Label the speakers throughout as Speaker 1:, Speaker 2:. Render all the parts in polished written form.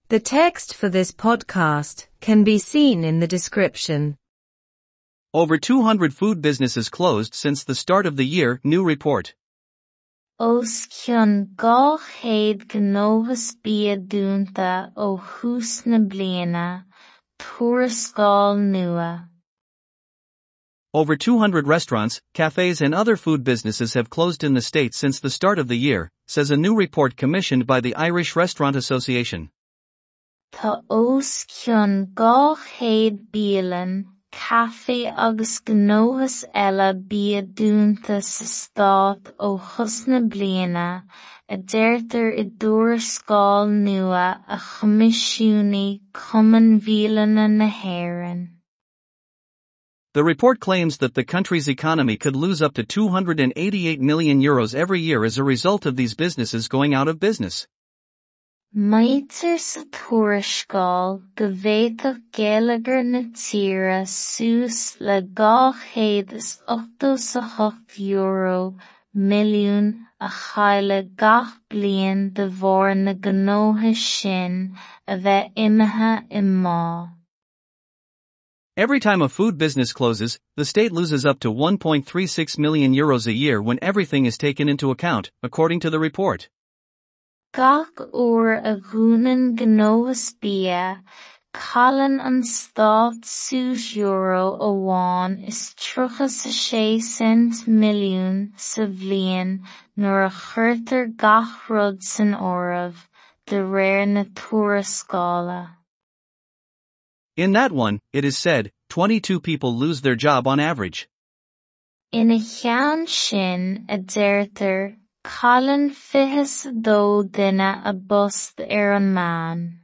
Speaker 1: The text for this podcast can be seen in the description.
Speaker 2: Over 200 food businesses closed since the start of the year, new report.
Speaker 3: Os cionn 200 gnóthas bia dúnta ó thús na bliana, tuarascáil nua.
Speaker 2: Over 200 restaurants, cafes and other food businesses have closed in the state since the start of the year, says a new report commissioned by the Irish Restaurant Association.
Speaker 3: Tá os cionn 200 bialann, caife agus gnóthas eile bia dúnta sa stát ó thús na bliana, a deirtear i dtuarascáil nua a choimisiúnaigh Cumann Bhialanna na hÉireann.
Speaker 2: The report claims that the country's economy could lose up to €288 million every year as a result of these businesses going out of business.
Speaker 3: Maítear sa tuarascáil go bhféadfadh geilleagar na tíre suas le €288 milliún a chailleadh gach bliain de bharr na ngnóthas sin a bheith imithe i mbá.
Speaker 2: Every time a food business closes, the state loses up to €1.36 million a year when everything is taken into account, according to the report.
Speaker 3: Gach uair a dhúnann gnóthas bia, cailleann an stát suas euro amháin is 36 cent milliún sa bhliain nuair a chuirtear gach rud san áireamh, de réir na tuarascála.
Speaker 2: In that one, it is said, 22 people lose their job on average.
Speaker 3: Ina cheann sin, a deirtear, cailleann 22 duine a bpost ar an meán.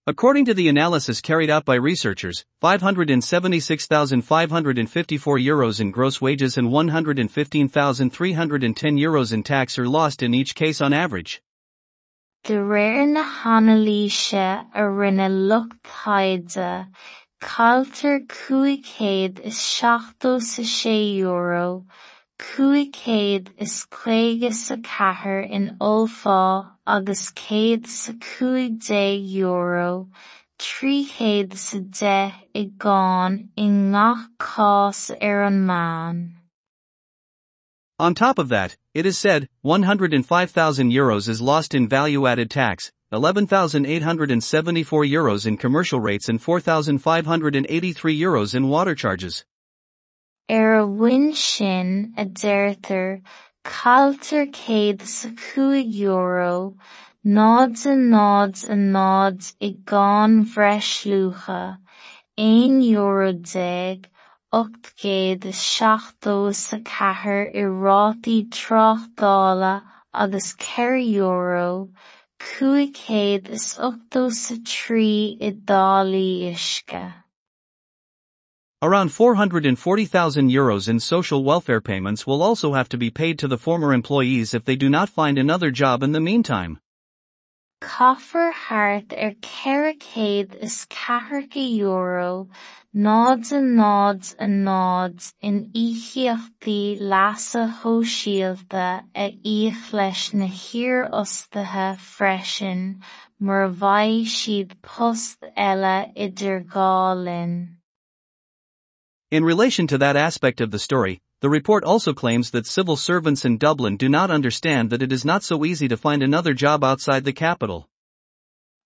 Speaker 2: According to the analysis carried out by researchers, €576,554 in gross wages and €115,310 in tax are lost in each case on average.
Speaker 3: De réir na hanailíse a rinne lucht taighde, cailltear €576, 554 in ollphá agus €115, 310 i gcáin i ngach cás ar an meán.
Speaker 2: On top of that, it is said, €105,000 is lost in value-added tax, €11,874 in commercial rates and €4,583 in water charges.
Speaker 3: Ar a bhun sin, a deirtear, cailltear €105, 0.00 i gcáin bhreisluacha, €11, 874 i rátaí tráchtála agus €4, 583 i dtáillí uisce.
Speaker 2: Around €440,000 in social welfare payments will also have to be paid to the former employees if they do not find another job in the meantime.
Speaker 3: Caithfear thart ar €440, 0.00 in íocaíochtaí leasa shóisialta a íoc leis na hiarfhostaithe freisin mura bhfaighidh siad post eile idir dhá linn.
Speaker 2: In relation to that aspect of the story, the report also claims that civil servants in Dublin do not understand that it is not so easy to find another job outside the capital.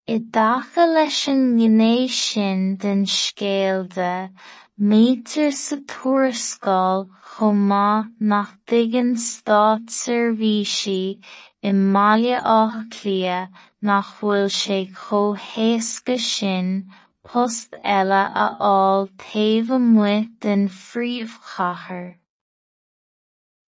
Speaker 3: I dtaca leis an ngné sin den scéal de, maítear sa tuarascáil chomh maith nach dtuigeann státseirbhísigh i mBaile Átha Cliath nach bhfuil sé chomh héasca sin post eile a fháil taobh amuigh den phríomhchathair.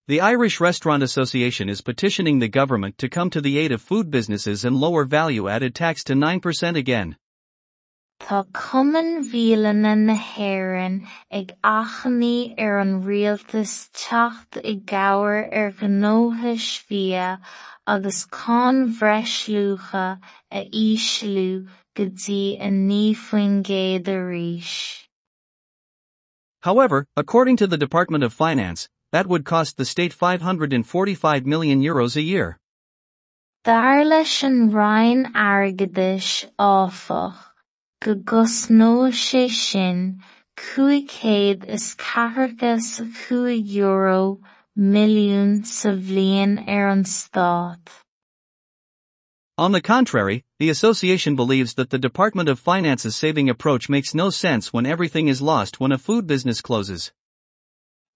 Speaker 2: The Irish Restaurant Association is petitioning the government to come to the aid of food businesses and lower value-added tax to 9% again.
Speaker 3: Tá Cumann Bhialanna na hÉireann ag achainí ar an rialtas teacht i gcabhair ar ghnóthais bhia agus cáin bhreisluacha a ísliú go dtí 9% arís.
Speaker 2: However, according to the Department of Finance, that would cost the state €545 million a year.
Speaker 3: Dar leis an Roinn Airgeadais, áfach, go gcosnóidh sé sin €545 milliún sa bhliain ar an stát.
Speaker 2: On the contrary, the association believes that the Department of Finance's saving approach makes no sense when everything is lost when a food business closes.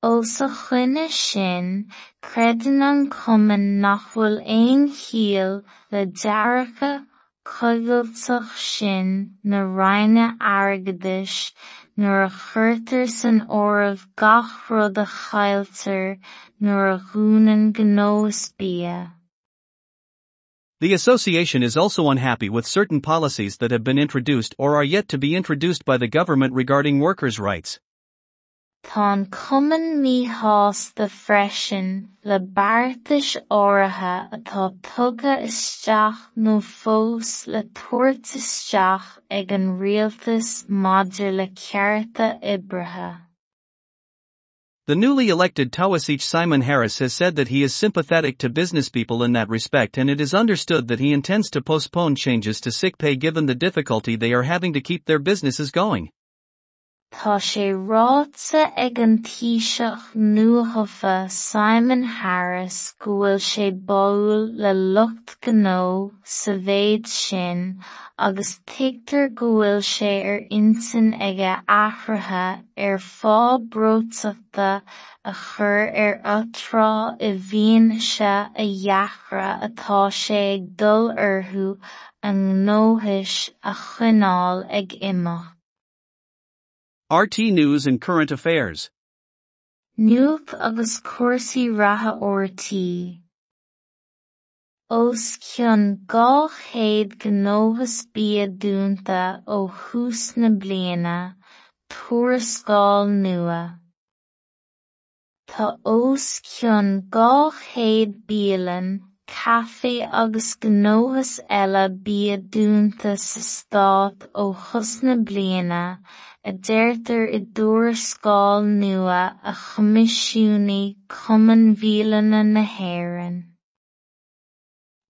Speaker 3: Os a choinne sin, creideann an cumann nach bhfuil aon chiall le dearcadh coigilteach sin na Roinne Airgeadais nuair a chuirtear san áireamh gach rud a chailltear nuair a dhúnann gnóthas bia.
Speaker 2: The association is also unhappy with certain policies that have been introduced or are yet to be introduced by the government regarding workers' rights.
Speaker 3: Tá an cumann míshásta freisin le beartais áirithe atá tugtha isteach nó fós le tabhairt isteach ag an rialtas maidir le cearta oibrithe.
Speaker 2: The newly elected Taoiseach Simon Harris has said that he is sympathetic to business people in that respect and it is understood that he intends to postpone changes to sick pay given the difficulty they are having to keep their businesses going.
Speaker 3: Tá sé ráite ag an Taoiseach nuathofa Simon Harris go bhfuil sé báúil le lucht gnó sa mhéid sin agus tuigtear go bhfuil sé ar intinn aige athruithe ar phá breoiteachta a chur ar atráth i bhfianaise a dheacra atá sé ag dul orthu a ngnóthais a choinneáil ag imeacht.
Speaker 2: RTÉ News and Current Affairs.
Speaker 3: Nuacht agus cúrsaí reatha RTÉ. Os cionn 200 gnóthas bia dúnta ó thús na bliana, tuarascáil nua. Tá os cionn 200 bialann, caife agus gnóthas eile bia dúnta sa stát ó thús na bliana, a deirtear i dtuarascáil nua a choimisiúnaigh Cumann Bhialanna na hÉireann.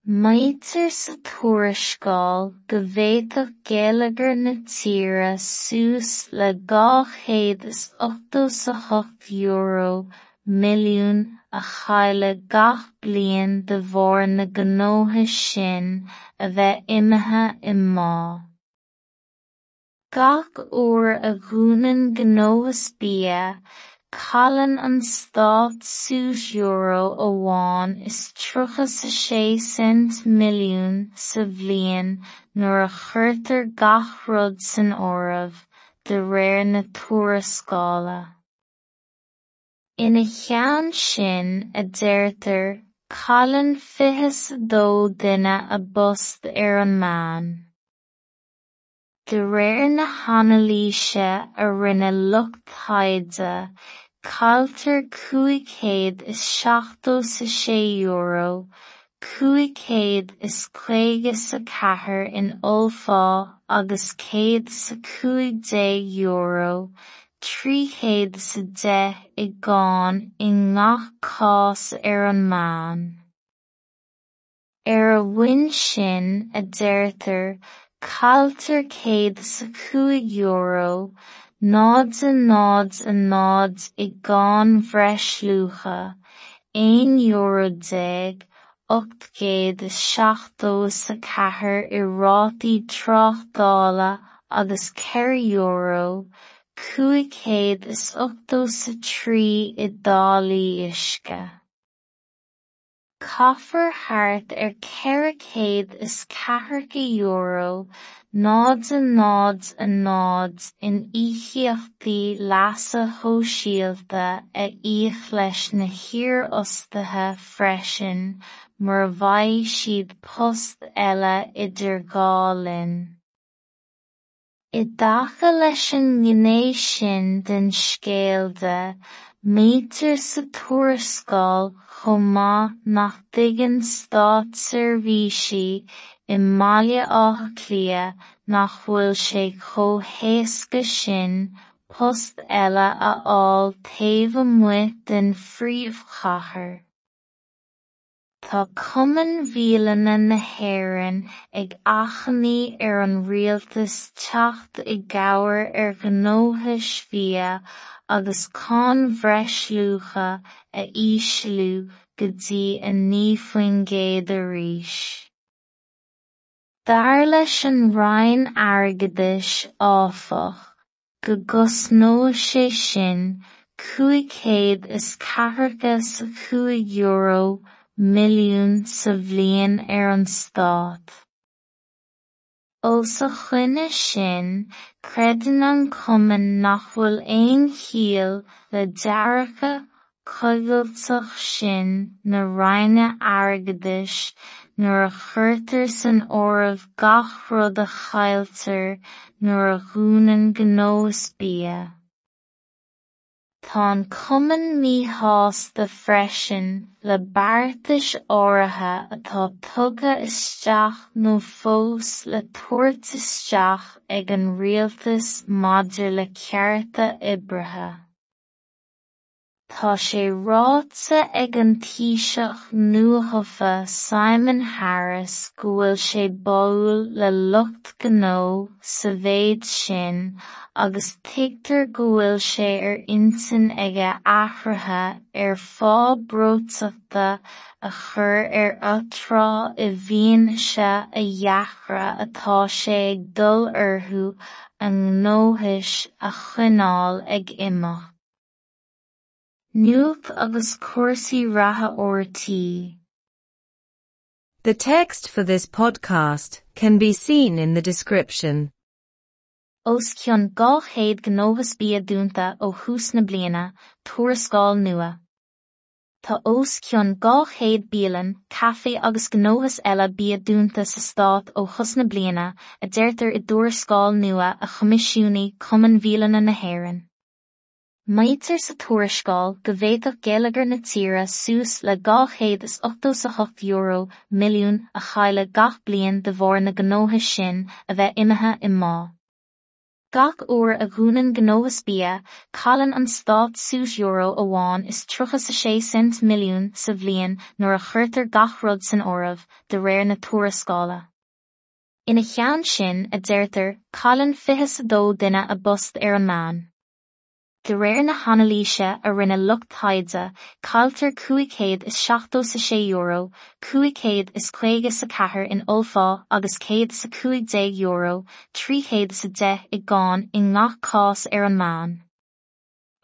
Speaker 3: Maítear sa tuarascáil go bhféadfadh geilleagar na tíre suas le €288 milliún a chailleadh gach bliain de bharr na ngnóthas sin a bheith imithe i mbá. Gach uair a dhúnann gnóthas bia, cailleann an stát suas €1.36 milliún sa bhliain nuair a chuirtear gach rud san áireamh, de réir na tuarascála. Ina cheann sin, a deirtear, cailleann 22 duine a bpost ar an meán. De réir na hanailíse a rinne lucht taighde, cailltear €576, 554 in ollphá agus €115, 310 i gcáin i ngach cás ar an meán. Ar a bhonn sin, a deirtear, cailltear €105, 0.00 i gcáin bhreisluacha, €11, 874 i rátaí tráchtála agus €4, 583 i dtáillí uisce. Caithfear thart ar €440, 0.00 in íocaíochtaí leasa shóisialta a íoc leis na hiarfhostaithe freisin mura bhfaighidh siad post eile idir dhá linn. I dtaca leis an ngné sin den scéal de, maítear sa tuarascáil chomh maith nach dtuigeann státseirbhísigh i mBaile Átha Cliath nach bhfuil sé chomh héasca sin post eile a fháil taobh amuigh den phríomhchathair. Tá Cumann Bhialanna na hÉireann ag achainí ar an rialtas teacht i gcabhair ar ghnóthais bhia agus cáin bhreisluacha a ísliú go dtí 9% arís. Dar leis an Roinn Airgeadais, áfach, go gcosnóidh sé sin €545 milliún sa bhliain ar an stát. Os a choinne sin, creideann an cumann nach bhfuil aon chiall le dearcadh coigilteach sin na Roinne Airgeadais nuair a chuirtear san áireamh gach rud a chailltear nuair a dhúnann gnóthas bia. Tá an cumann míshásta freisin le beartais áirithe atá tugtha isteach nó fós le tabhairt isteach ag an rialtas maidir le cearta oibrithe. Tá sé ráite ag an Taoiseach nuathofa Simon Harris go bhfuil sé báúil le lucht gnó sa mhéid sin agus tuigtear go bhfuil sé ar intinn aige athruithe ar phá breoiteachta a chur ar atráth i bhfianaise a dheacra atá sé ag dul orthu a ngnóthais a choinneáil ag imeacht. Nuacht agus cúrsaí reatha RTÉ.
Speaker 1: The text for this podcast can be seen in the description.
Speaker 4: Os cionn 200 gnóthas bia dúnta ó thús na bliana, tuarascáil nua. Tá os cionn 200 bialann, caife agus gnóthas eile bia dúnta sa stát ó thús na bliana, a deirtear i dtuarascáil nua a choimisiúnaigh Cumann Bhialanna na hÉireann. Maítear sa tuarascáil go bhféadfadh geilleagar na tíre suas le €288 milliún a chailleadh gach bliain de bharr na ngnóthas sin a bheith imithe i mbá. Gach uair a dhúnann gnóthas bia, cailleann an stát suas euro amháin is 36 cent milliún sa bhliain nuair a chuirtear gach rud san áireamh, de réir na tuarascála. Ina cheann sin, a deirtear, cailleann 22 duine a bpost ar an meán. De réir na hanailíse a rinne lucht taighde, cailltear €576, 554 in ollphá agus €115, 310 i gcáin i ngach cás ar an meán.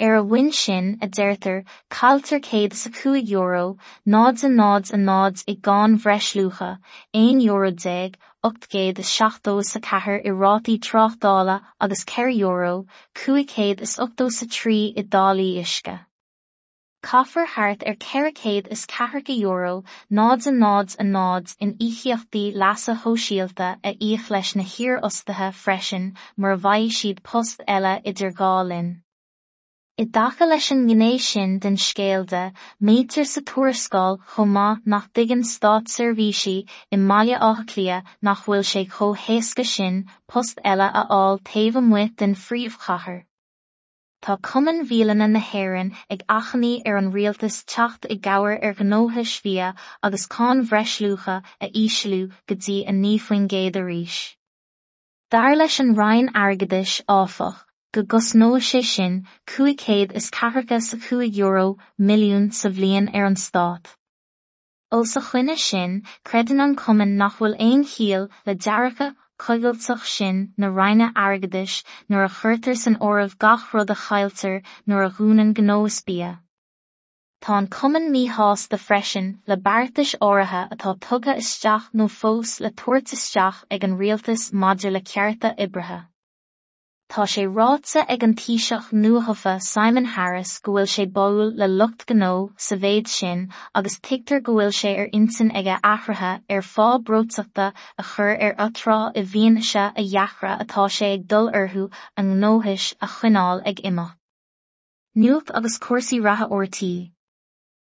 Speaker 4: Ar a bhun sin, a deirtear, cailltear €105, 0.00 i gcáin bhreisluacha, €11, 874 i rátaí tráchtála agus €4, 583 i dtáillí uisce. Caithfear thart ar €440, 0.00 in íocaíochtaí leasa shóisialta a íoc leis na hiarfhostaithe freisin mura bhfaighidh siad post eile idir dhá linn. I dtaca leis an ngné sin den scéal de, maítear sa tuarascáil chomh maith nach dtuigeann státseirbhísí i mBaile Átha Cliath nach bhfuil sé chomh héasca sin post eile a fháil taobh amuigh den phríomhchathair. Tá Cumann Bhialanna na hÉireann ag achainí ar an rialtas teacht i gcabhair ar ghnóthais bhia agus cáin bhreisluacha a ísliú go dtí 9% arís. Dar leis an Roinn Airgeadais, áfach, go gcosnóidh sé sin €545 milliún sa bhliain ar an stát. Os a choinne sin, creideann an cumann nach bhfuil aon chiall le dearcadh coigilteach sin na Roinne Airgeadais nuair a chuirtear san áireamh gach rud a chailltear nuair a dhúnann gnóthas bia. Tá an cumann míshásta freisin le beartais áirithe atá tugtha isteach nó fós le tabhairt isteach ag an rialtas maidir le cearta oibrithe. Tá sé ráite ag an Taoiseach nuathofa Simon Harris go bhfuil sé báúil le lucht gnó sa mhéid sin agus tuigtear go bhfuil sé ar intinn aige athruithe ar phá breoiteachta a chur ar atráth i bhfianaise a dheacra atá sé ag dul orthu a ngnóthais a choinneáil ag imeacht. Nuacht agus cúrsaí reatha RTÉ.